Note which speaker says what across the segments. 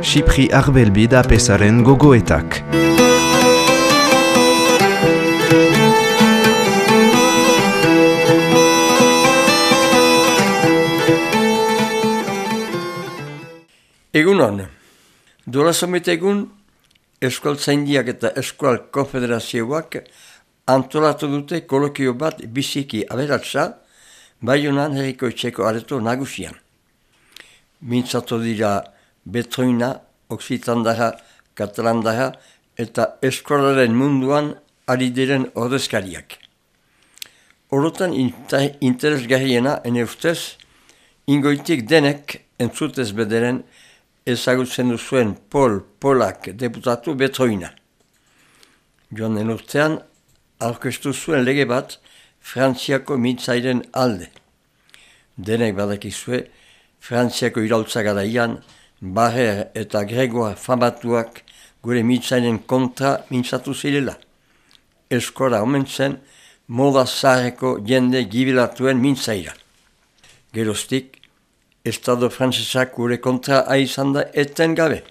Speaker 1: Xipri Arbelbi da pesaren gogoetak.
Speaker 2: Egunon, duela somit egun, Euskaltzaindiak eta Euskal Konfederazioak antolatu dute kolokio bat biziki aberatsa, Baionan herriko etxeko areto nagusian. Mintzatu dira betroina, oksitandara, katalandara eta eskolaren munduan ari diren ordezkariak. Orotan interesgarriena ene ustez, ingoitik denek entzutez bederen ezagutzen duzuen Polak deputatu betroina. Joan den urtean, aurkeztu zuen lege bat Frantziako mintzairen alde. Denek badakizue, Frantziako iraultza garaian, Barrer eta Gregoire famatuak gure mintzairen kontra mintzatu zirela. Eskora omen zen, moda zaharreko jende gibilatuen mintzaira. Geroztik, Estado frantzesak gure kontra izan da eten gabe.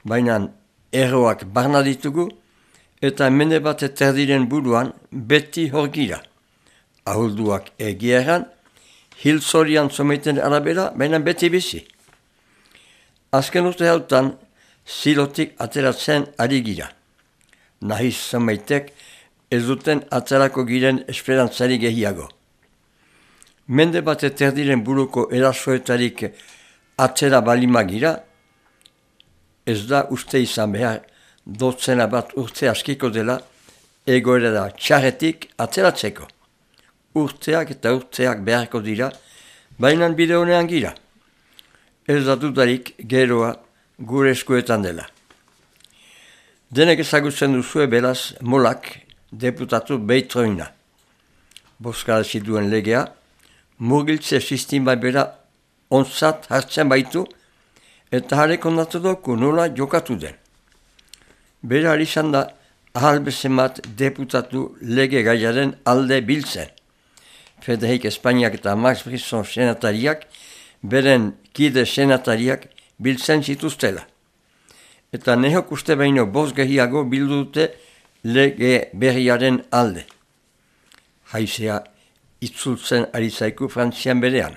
Speaker 2: Baina erroak barna ditugu eta mende bat eterdiren buruan beti hor gira. Ahulduak egieran, hilzorian someten arabera, baina beti bizi. Azken urte hautan, zilotik ateratzen ari gira. Nahiz somaitek ez duten aterako giren esperantzari gehiago. Mende bat eterdiren buruko erasoetarik atzera balima gira, ez da uste izan behar dotzena bat urte askiko dela egoera da txarretik atzeratzeko. Urteak eta urteak beharko dira, baina bide honean gira. Ez da dudarik geroa gure eskuetan dela. Denek ezagutzen duzue beraz Molak deputatu betroina. Boskarazi duen legea, murgiltze sistema bera onzat hartzen baitu eta harek ondatu doku nola jokatu den. Bera izan da ahal bezemat deputatu lege gaiaren alde biltzen. Federik Espainiak eta Max Brisson senatariak beren kide senatariak biltzen zituztela. Eta nehok uste baino bost gehiago bildu dute lege berriaren alde. Haizea itzultzen ari zaiku Frantzian berean.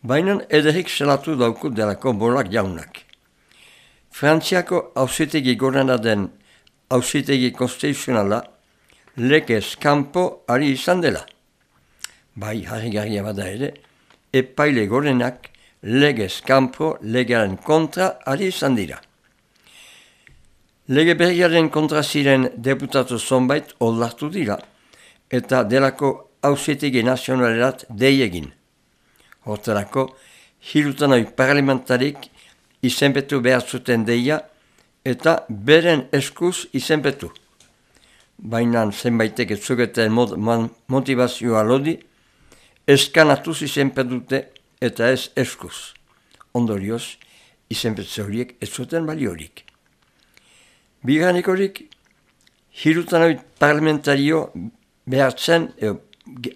Speaker 2: Baina ederik selatu dauku delako Molak jaunak. Frantziako auzitegi gorena den auzitegi konstituzionala legez kanpo ari izan dela. Bai harrigarria bada ere, epaile gorenak legez kanpo legearen kontra ari izan dira. Lege berriaren kontra ziren deputatu zonbait oldartu dira, eta delako auzitegi nazionalerat deiegin. Hortarako, hirutanoi parlamentarik izenpetu behar zuten deia eta beren eskuz izenpetu. Baina zenbaitek ez zugeten motivazioa lodi, eskanatuz izenpetute eta ez eskuz. Ondorioz, izenpetze horiek ez zuten baliorik. Bigarrenik horik, hirutanoi parlamentario behartzen,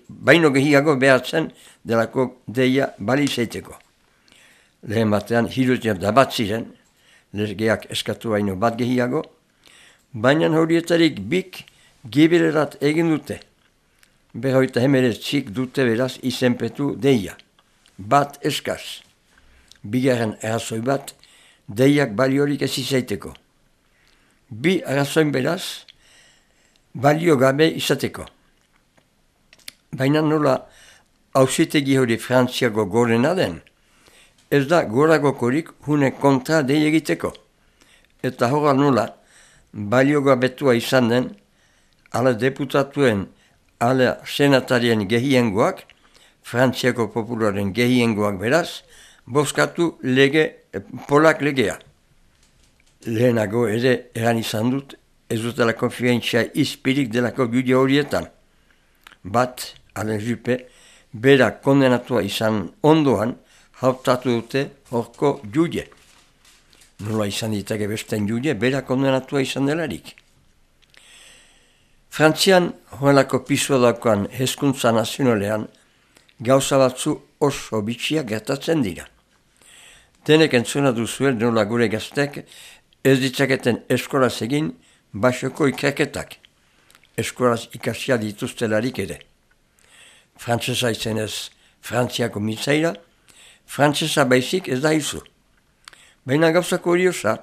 Speaker 2: baino gehiago behartzen delako deia bali zeiteko. Lehen batean hirutzen da bat ziren, legeak eskatu baino bat gehiago, baina horietarik bik gibilerat egin dute. Berroita hemeretzik dute beraz izenpetu deia. Bat eskaz. Bigarren arrazoi bat, deiak baliorik ez izaiteko. Bi arrazoin beraz, balio gabe izateko. Baina nola auzitegi hori Frantziako gorena den, ez da goragokorik hune kontra dei egiteko. Eta horra nola balio gabetua izan den, ala deputatuen, ala senatarien gehiengoak, Frantziako popularen gehiengoak beraz, bozkatu Polak legea. Lehenago ere eran izan dut, ez dutela konfientzia izpirik delako jude horietan. Bat, Alain Juppé, bera kondenatua izan ondoan, hautatu dute horko jude. Nola izan ditake besten jude, bera kondenatua izan delarik. Frantzian, horrelako pisua daukan hezkuntza nazionalean, gauza batzu oso bitxia gertatzen dira. Denek entzuna duzuel nola gure gaztek ez ditzaketen eskolaz egin basoko ikerketak. Eskolaz ikasia dituztelarik ere. Frantsesa izenez Frantziako mitzaira, frantsesa baizik ez da izu. Baina gauzako horiosa,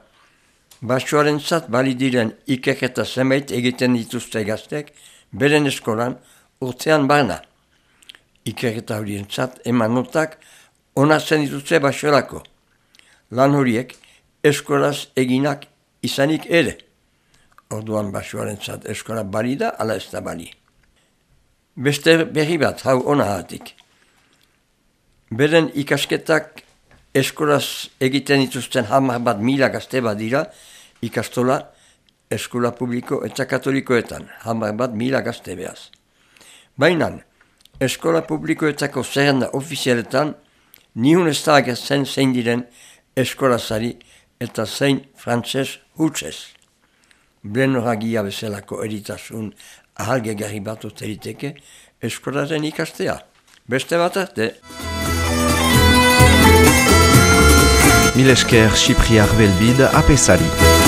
Speaker 2: basoaren zat bali diren ikerketa zenbait egiten dituzte gaztek beren eskolan urtean barna. Ikerketa horien zat eman notak onartzen dituzte basorako. Lan horiek eskolaz eginak izanik ere. Orduan basoaren zat eskola bali da, ala ez da bali. Beste berri bat hau onahatik. Beren ikasketak eskolaz egiten dituzten 10.000 gazte badira ikastola eskola publiko eta katolikoetan, 10.000 gazte behaz. Baina, eskola publikoetako zerrenda ofizialetan nihun ez da agertzen zein diren eskolazari eta zein frantses hutsez. Blenoragia bezalako eritasun ahalgegarri bat oteriteke eskolaren ikastea. Beste bat arte.
Speaker 1: Mil esker Chypriar Belbide apesari.